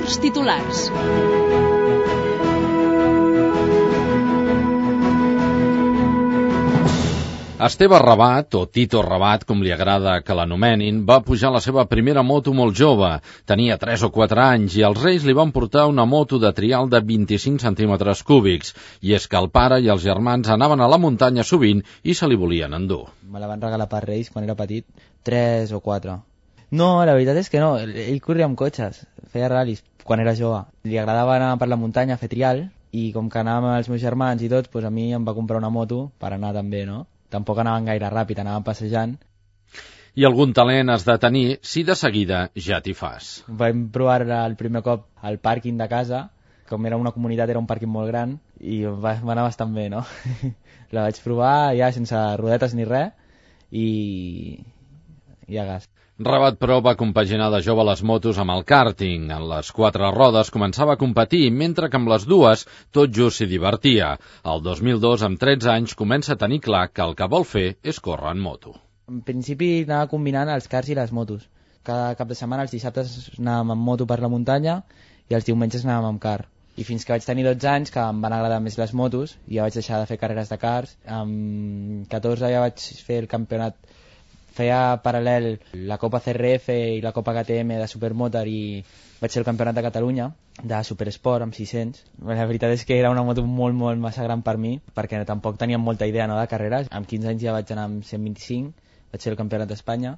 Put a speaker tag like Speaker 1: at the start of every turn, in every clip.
Speaker 1: Esports titulars.
Speaker 2: Esteve Rabat, o Tito Rabat, com li agrada que l'anomenin, va pujar la seva primera moto molt jove. Tenia 3 o 4 anys i els Reis li van portar una moto de trial de 25 centímetres cúbics. I és que el pare i els germans anaven a la muntanya sovint i se li volien endur.
Speaker 3: Me la van regalar per Reis quan era petit, 3 o 4. No, la veritat és que no, ell corria amb cotxes, feia ral·lis quan era jove. Li agradava anar per la muntanya a fer trial i com que anàvem amb els meus germans i tots, doncs a mi em va comprar una moto per anar també, no? Tampoc anaven gaire ràpid, anaven passejant.
Speaker 2: I algun talent has de tenir si de seguida ja t'hi fas.
Speaker 3: Vam provar el primer cop al pàrquing de casa, com era una comunitat, era un pàrquing molt gran, i va anar bastant bé, no? La vaig provar ja sense rodetes ni res, i a gas.
Speaker 2: Rabat, però, va compaginar de jove les motos amb el kàrting. En les 4 rodes començava a competir, mentre que amb les 2 tot just s'hi divertia. El 2002, amb 13 anys, comença a tenir clar que el que vol fer és córrer en moto.
Speaker 3: En principi anava combinant els cars i les motos. Cada cap de setmana, els dissabtes anàvem amb moto per la muntanya i els diumenges anàvem amb car. I fins que vaig tenir 12 anys, que em van agradar més les motos, i ja vaig deixar de fer carreres de cars. Amb 14 ja vaig fer el campionat. Feia paral·lel la Copa CRF i la Copa KTM de Supermotor i vaig ser el campionat de Catalunya de Supersport amb 600. La veritat és que era una moto molt massa gran per mi, perquè tampoc tenia molta idea, no, de carreres. Amb 15 anys ja vaig anar amb 125, vaig ser el campionat d'Espanya.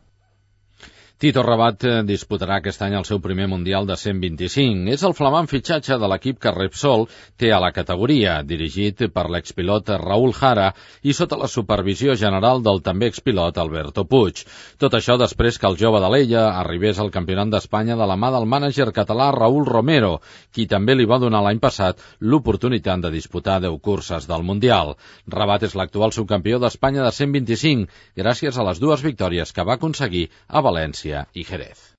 Speaker 2: Tito Rabat disputarà aquest any el seu primer Mundial de 125. És el flamant fitxatge de l'equip que Repsol té a la categoria, dirigit per l'expilot Raúl Jara i sota la supervisió general del també expilot Alberto Puig. Tot això després que el jove d'Alella arribés al Campionat d'Espanya de la mà del mànager català Raúl Romero, qui també li va donar l'any passat l'oportunitat de disputar 10 curses del Mundial. Rabat és l'actual subcampió d'Espanya de 125, gràcies a les 2 victòries que va aconseguir a València i Jerez.